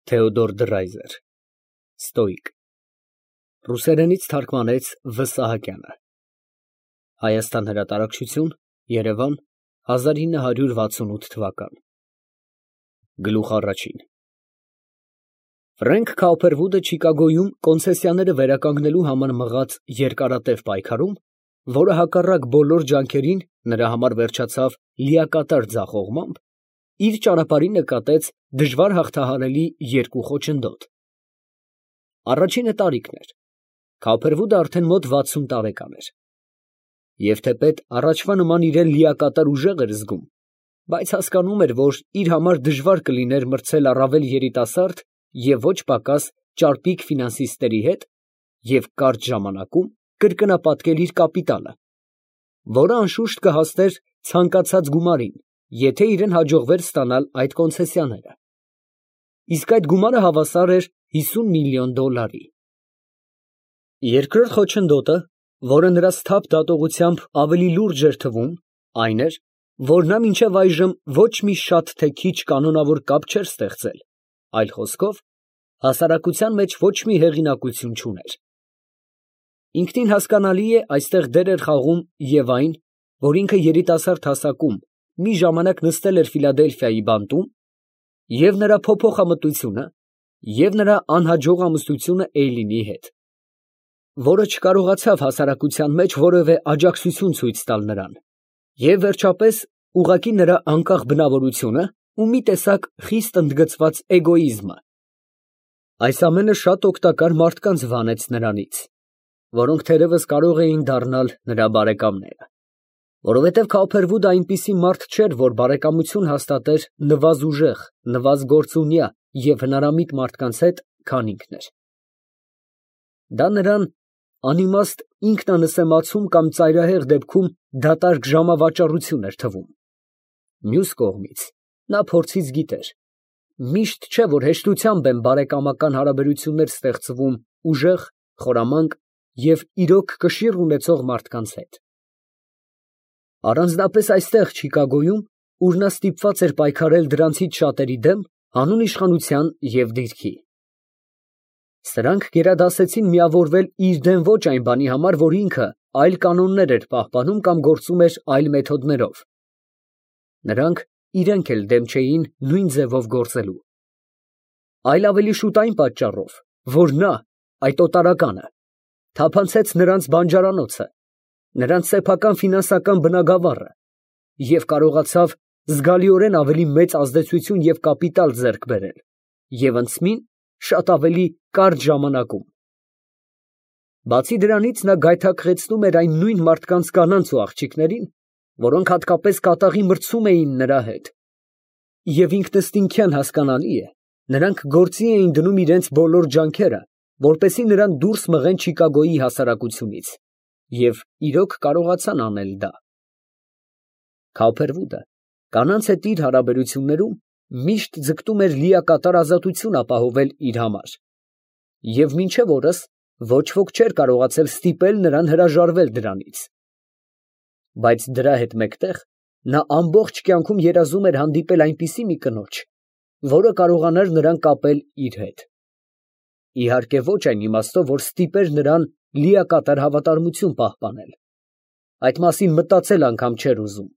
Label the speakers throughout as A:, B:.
A: Թեոդոր Դրայզեր, Ստոիկ, ռուսերենից թարգմանեց Վ. Սահակյանը, Հայաստան հրատարակչություն, Երևան, 1968 թվական։ Գլուխ առաջին Ֆրենկ Քաուփերվուդը Չիկագոյում կոնցեսիաները վերականգնելու համար մղած երկարատև պայքարում, որը հակառակ բոլոր ջանքերին նրա համար վերջացավ լիակատար ձախողմամբ, իր ճանապարհին նկատեց դժվար հաղթահարելի երկու խոչընդոտ։ Առաջինը տարիքն էր։ Քաուփերվուդը արդեն մոտ 60 տարեկան էր։ Եվ թեպետ առաջվա նման իրեն լիակատար ուժեղ էր զգում, բայց հասկանում էր, որ իր համար դժվար կլիներ մրցել առավել երիտասարդ և ոչ պակաս ճարպիկ ֆինանսիստների հետ և կարճ ժամանակում կրկնապատկել իր կապիտալը, որը անշուշտ կհասներ ցանկացած գումարին, եթե իրեն հաջողվեր ստանալ այդ կոնցեսիաները։ Իսկ այդ գումարը հավասար էր 50 միլիոն դոլարի։ Երկրորդ խոչընդոտը, որը նրա սթափ դատողությամբ ավելի լուրջ էր թվում, այն էր, որ նա մինչև այժմ ոչ մի շատ թե քիչ կանոնավոր կապ չէր ստեղծել, այլ խոսքով, հասարակության մեջ ոչ մի հեղինակություն չուներ։ Ինքնին հասկանալի է, այստեղ դեր էր խաղում և այն, որ ինքը երիտասարդ հասակում մի ժամանակ նստել էր Ֆիլադելֆիայի բանտում, և նրա փոփոխամտությունը, և նրա անհաջող ամուսնությունը Էյլինի հետ, որը չկարողացավ հասարակության մեջ որևէ աջակցություն ցույց տալ նրան, և վերջապես ուղղակի նրա անկախ բնավորությունը ու մի տեսակ խիստ ընդգծված էգոիզմը։ Այս ամենը շատ օգտակար մարդկանց վանեց նրանից, որոնք թերևս կարող էին դառնալ նրա բարեկամները, որովհետև Քաուփերվուդը այնպիսի մարդ չէր, որ բարեկամություն հաստատեր նվազուժեղ, նվազգործունյա և հնարամիտ մարդկանց հետ, քան ինքն էր։ Դա նրան անիմաստ ինքնանսեմացում կամ ծայրահեղ դեպքում դատարկ ժամավաճառություն էր թվում։ Մյուս կողմից, նա փորձից գիտեր. միշտ չէ, որ հեշտությամբ են բարեկամական հարաբերություններ ստեղծվում ուժեղ, խորամանկ և իրոք կշիռ ունեցող մարդկանց հետ։ Առանձնապես այստեղ Չիկագոյում, ուր նա ստիպված էր պայքարել դրանցից շատերի դեմ, հանուն իշխանության և դիրքի։ Սրանք գերադասեցին միավորվել իր դեմ ոչ այն բանի համար, որ ինքը այլ կանոններ էր պահպանում կամ գործում էր այլ մեթոդներով։ Նրանք իրենք էլ դեմ չէին նույն ձևով գործելու, այլ ավելի շուտ այն պատճառով, որ նա, այդ օտարականը, թափանցեց նրանց բանջարանոցը, նրանց սեփական ֆինանսական բնագավառը և կարողացավ զգալիորեն ավելի մեծ ազդեցություն և կապիտալ ձեռք բերել և ընծմին շատ ավելի կարճ ժամանակում։ Բացի դրանից, նա գայթակղեցնում էր այն նույն մարդկանց կանանց ու աղջիկներին, որոնք հատկապես կատաղի մրցում էին նրա հետ, և ինքնըստինքյան հասկանալի է, նրանք գործի էին դնում իրենց բոլոր ջանքերը, որպեսզի նրան դուրս մղեն Չիկագոյի հասարակությունից, և իրոք կարողացան անել դա։ Քաուփերվուդը կանանց հետ իր հարաբերություններում միշտ ձգտում էր լիակատար ազատություն ապահովել իր համար, և մինչև օրս ոչ ոք չէր կարողացել ստիպել նրան հրաժարվել դրանից։ Բայց դրա հետ մեկտեղ նա ամբողջ կյանքում երազում էր հանդիպել այնպիսի մի կնոջ, որը կարողանար նրան կապել իր հետ։ Իհարկե ոչ այն իմաստով, որ ստիպեր նրան լիակատար հավատարմություն պահպանել, այդ մասին մտածել անգամ չէր ուզում,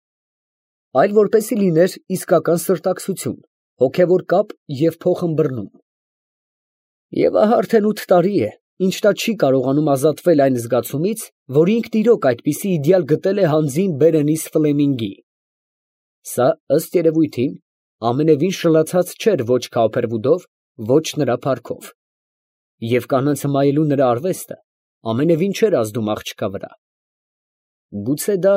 A: այլ որպեսզի լիներ իսկական սրտակցություն, հոգևոր կապ և փոխըմբռնում։ Եվ ահա արդեն 8 տարի է, ինչ նա չի կարողանում ազատվել այն զգացումից, որ ինքն իրոք այդպիսի իդեալ գտել է հանձին Բերենիս Ֆլեմինգի։ Սա, ըստ երևույթին, ամենևին շլացած չէր ոչ Քաուփերվուդով, ոչ նրա փառքով, և կանանց հմայելու նրա արվեստը ամենևին չէր ազդում աղջկա վրա։ Գուցե դա,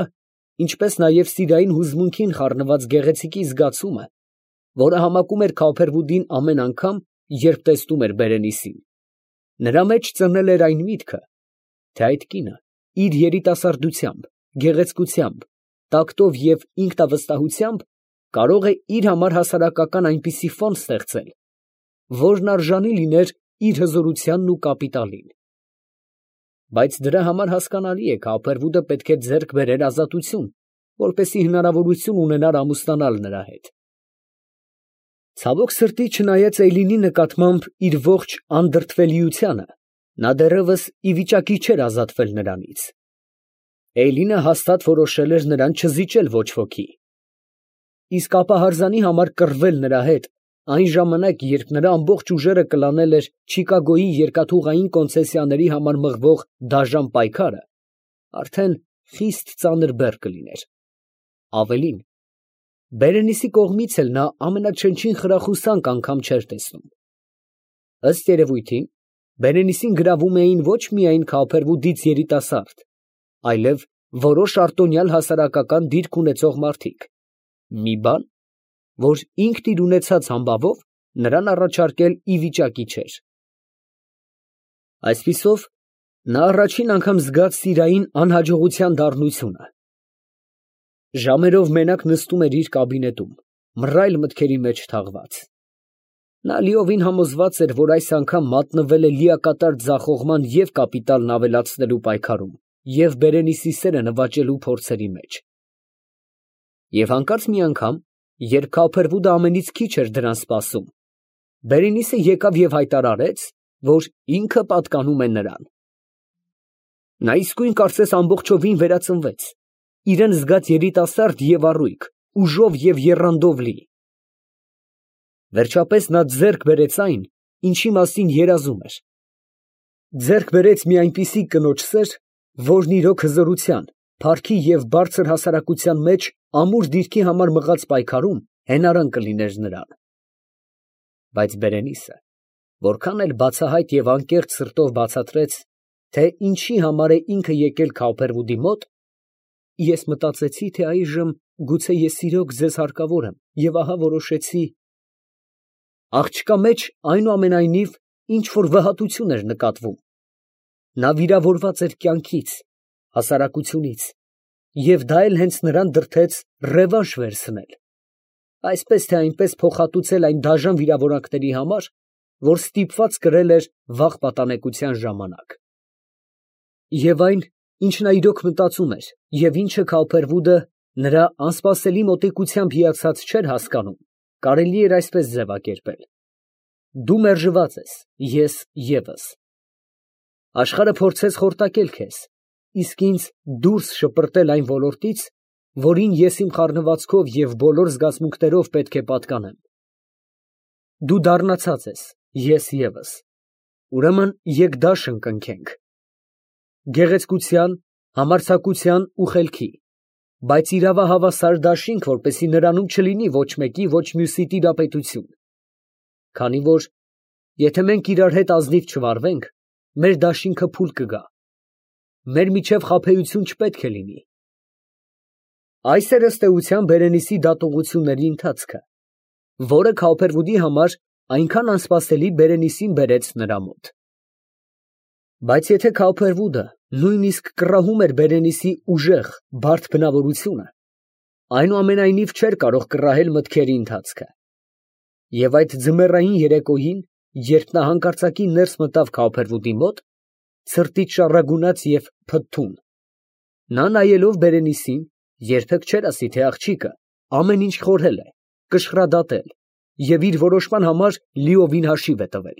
A: ինչպես նաև սիրային հուզմունքին խառնված գեղեցիկի զգացումը, որը համակում էր Քաուփերվուդին ամեն անգամ, երբ տեսնում էր Բերենիսին, նրա մեջ ծնել էր այն միտքը, թե այդ կինը իր երիտասարդությամբ, գեղեցկությամբ, տակտով և ինքնավստահությամբ կարող է իր համար հասարակական այնպիսի ֆոն ստեղծել, որն արժանի լիներ իր հզորությանն ու կապիտալին։ Բայց դրա համար հասկանալի է, Քաուփերվուդը պետք է ձեռք բերեր ազատություն, որպեսզի հնարավորություն ունենար ամուսնանալ նրա հետ։ Ցավոք սրտի, չնայած Էյլինի նկատմամբ իր ողջ անդրդվելիությանը, նա դեռևս ի վիճակի չէր ազատվել նրանից։ Էյլինը հաստատ որոշել էր նրան չզիջել ոչ ոքի։ Իսկ ապահարզանի համար կռվել նրա հետ այն ժամանակ, երբ նրա ամբողջ ուժերը կլանել էր Չիկագոյի երկաթուղային կոնցեսիաների համար մղվող դաժան պայքարը, արդեն խիստ ծանր բեռ կլիներ։ Ավելին, Բերենիսի կողմից էլ նա ամենաչնչին խրախուսանք անգամ չէր տեսնում։ Ըստ երևույթին, Բերենիսին գրավում էին ոչ միայն Քավփերվուդից երիտասարդ, այլև որոշ արտոնյալ հասարակական դիրք ունեցող մարդիկ, մի բան, որ ինքն իր ունեցած համբավով նրան առաջարկել ի վիճակի չէր։ Այսպիսով, նա առաջին անգամ զգաց սիրային անհաջողության դառնությունը։ Ժամերով մենակ նստում էր իր կաբինետում, մռայլ մտքերի մեջ թաղված։ Նա լիովին համոզված էր, որ այս անգամ մատնվել է լիակատար ձախողման և կապիտալն ավելացնելու պայքարում, և Բերենիսի սերը նվաճելու փորձերի մեջ։ Եվ հանկարծ մի անգամ, երբ Քավփերվուդը ամենից քիչ էր դրան սպասում, Բերենիսը եկավ և հայտարարեց, որ ինքը պատկանում է նրան։ Նա իսկույն կարծես ամբողջովին վերածնվեց, իրան զգաց երիտասարդ և առույգ, ուժով և եռանդով լի։ Վերջապես նա ձեռք բերեց այն, ինչի մասին երազում էր։ Ձեռք բերեց մի այնպիսի կնոջ սեր, որն իրոք հզորության, փառքի և բարձր հասարակության մեջ ամուր դիրքի համար մղած պայքարում հենարան կլիներ նրան։ Բայց Բերենիսը որքան էլ բացահայտ և անկեղծ սրտով բացատրեց, թե ինչի համար է ինքը եկել Քավփերվուդի մոտ, ես մտածեցի, թե այժմ գուցե ես իրոք ձեզ հարկավոր եմ, և ահա որոշեցի… Աղջկա մեջ այնուամենայնիվ ինչ֊որ վհատություն էր նկատվում. նա վիրավորված էր կյանքից, հասարակությունից, և դա էլ հենց նրան դրդեց ռևանշ վերցնել, այսպես թե այնպես փոխհատուցել այն դաժան վիրավորանքների համար, որ ստիպված կրել էր վաղ պատանեկության ժամանակ։ Եվ այն, ինչ նա իրոք մտածում էր, և ինչը Քավփերվուդը նրա անսպասելի մոտիկությամբ հիացած չէր հասկանում, կարելի էր այսպես ձևակերպել. դու մերժված ես, ես ևս։ Աշխարհը փորձեց խորտակել քեզ, իսկ ինձ դուրս շպրտել այն ոլորտից, որին ես իմ խառնվածքով և բոլոր զգացմունքներով պետք է պատկանեմ։ Դու դառնացած ես, ես ևս։ Ուրեմն եկ դաշն կնքենք, գեղեցկության, համարձակության ու խելքի, բայց իրավահավասար դաշինք, որպեսզի նրանում չլինի ոչ մեկի, ոչ մյուսի տիրապետություն։ Քանի որ, եթե մենք իրար հետ ազնիվ չվարվենք, մեր դաշինքը փուլ կգա, մեր միջև խաբեություն չպետք է լինի։ Այս էր ըստ էության Բերենիսի դատողությունների ընթացքը, որը Քավփերվուդի համար այնքան անսպասելի Բերենիսին բերեց նրա մոտ։ Բայց եթե Քավփերվուդը նույնիսկ կռահում էր Բերենիսի ուժեղ, բարդ բնավորությունը, այնուամենայնիվ չէր կարող կռահել մտքերի ընթացքը։ Եվ այդ ձմեռային երեկոյին, երբ նա հանկարծակի ներս մտավ Քավփերվուդի մոտ, ցրտից շառագունած և փթթուն, նա նայելով Բերենիսին, երբեք չէր ասի, թե աղջիկը ամեն ինչ խորհել է, կշռադատել և իր որոշման համար լիովին հաշիվ է տվել։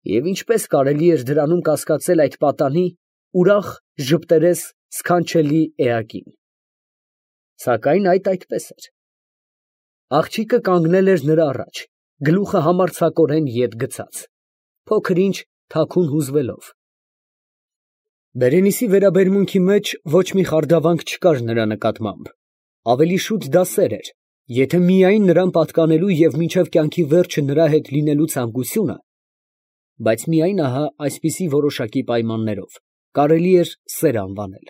A: Եվ ինչպես կարելի էր դրանում կասկածել այդ պատանի, ուրախ, ժպտերես սքանչելի էակին։ Սակայն այդպես էր։ Աղջիկը կանգնել էր նրա առաջ, գլուխը համարձակորեն ետ գցած, փոքր ինչ թաքուն հուզվելով։ Բերենիսի վերաբերմունքի մեջ ոչ մի խարդավանք չկար նրա նկատմամբ, ավելի շուտ դա սեր էր, եթե միայն նրան պատկանելու և մինչև կյանքի վերջը նրա հետ լինելու ցանկությունը, բայց միայն ահա այսպիսի որոշակի պայմաններով կարելի էր սեր անվանել։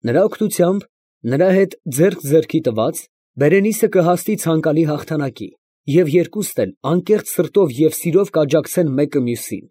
A: Նրա օգնությամբ, նրա հետ ձեռք ձեռքի տված, Բերենիսը կհասնի ցանկալի հաղթանակի, և երկուստ էլ անկեղծ սրտով և սիրով կաջակցեն մեկը մյուսին։